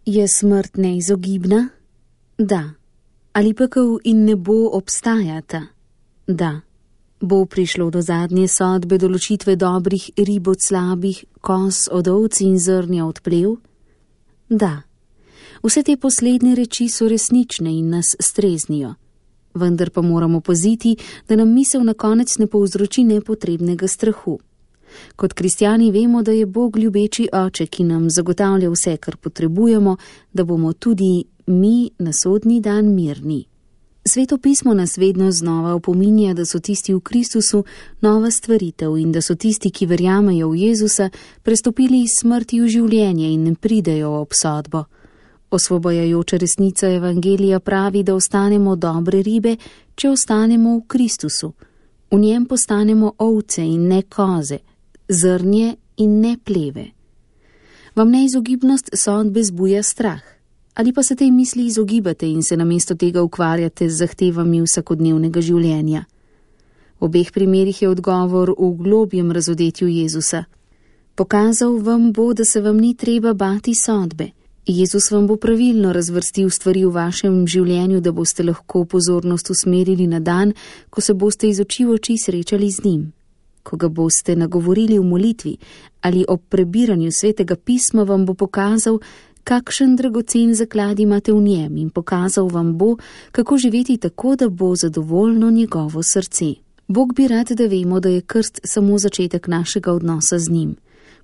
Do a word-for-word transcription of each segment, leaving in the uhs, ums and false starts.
Je smrt neizogibna? Da. Ali pekel in nebo obstajata? Da. Bo prišlo do zadnje sodbe določitve dobrih rib od slabih, koz od ovc in zrnja od plev? Da. Vse te poslednje reči so resnične in nas streznijo. Vendar pa moramo paziti, da nam misel na konec ne povzroči nepotrebnega strahu. Kot kristjani vemo, da je Bog ljubeči oče, ki nam zagotavlja vse, kar potrebujemo, da bomo tudi mi na sodni dan mirni. Sveto pismo nas vedno znova opominja, da so tisti v Kristusu nova stvaritev in da so tisti, ki verjamejo v Jezusa, prestopili iz smrti v življenje in ne pridejo v obsodbo. Osvobajajoča resnica evangelija pravi, da ostanemo dobre ribe, če ostanemo v Kristusu. V njem postanemo ovce in ne koze, zrnje in ne pleve. Vam neizogibnost sodbe zbuja strah? Ali pa se tej misli izogibate in se namesto tega ukvarjate z zahtevami vsakodnevnega življenja? V obeh primerih je odgovor v globjem razodetju Jezusa. Pokazal vam bo, da se vam ni treba bati sodbe. Jezus vam bo pravilno razvrstil stvari v vašem življenju, da boste lahko pozornost usmerili na dan, ko se boste iz oči v oči srečali z njim. Ko ga boste nagovorili v molitvi ali ob prebiranju svetega pisma, vam bo pokazal, kakšen dragocen zaklad imate v njem in pokazal vam bo, kako živeti tako, da bo zadovoljno njegovo srce. Bog bi rad, da vemo, da je krst samo začetek našega odnosa z njim.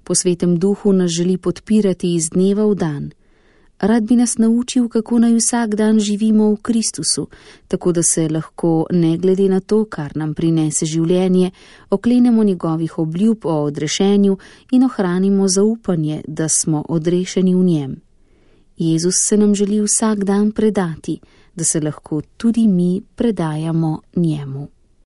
Po svetem duhu nas želi podpirati iz dneva v dan. Rad bi nas naučil, kako naj vsak dan živimo v Kristusu, tako da se lahko, ne glede na to, kar nam prinese življenje, oklenemo njegovih obljub o odrešenju in ohranimo zaupanje, da smo odrešeni v njem. Jezus se nam želi vsak dan predati, da se lahko tudi mi predajamo njemu.